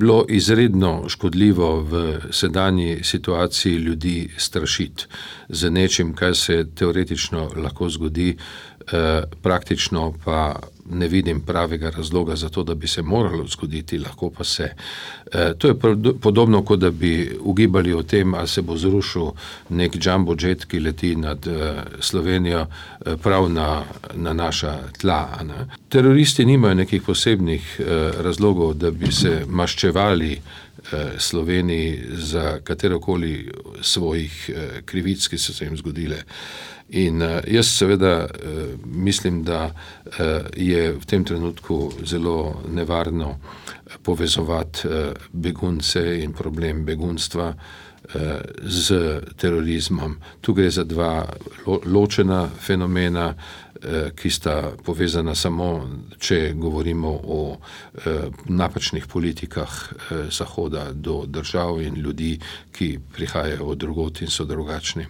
bilo izredno škodljivo v sedanji situaciji ljudi strašiti z nečim, kar se teoretično lahko zgodi, praktično pa ne vidim pravega razloga za to, da bi se moralo zgoditi, lahko pa se. To je podobno, kot da bi ugibali o tem, ali se bo zrušil nek jumbo jet, ki leti nad Slovenijo prav na naša tla. Ne? Teroristi nimajo nekih posebnih razlogov, da bi se maščevali Sloveniji za katerokoli svojih krivic, ki so se jim zgodile. In jaz seveda mislim, da je v tem trenutku zelo nevarno povezovati begunce in problem begunstva z terorizmom. Tu gre za dva ločena fenomena, ki sta povezana samo, če govorimo o napačnih politikah Zahoda do držav in ljudi, ki prihajajo od drugod in so drugačni.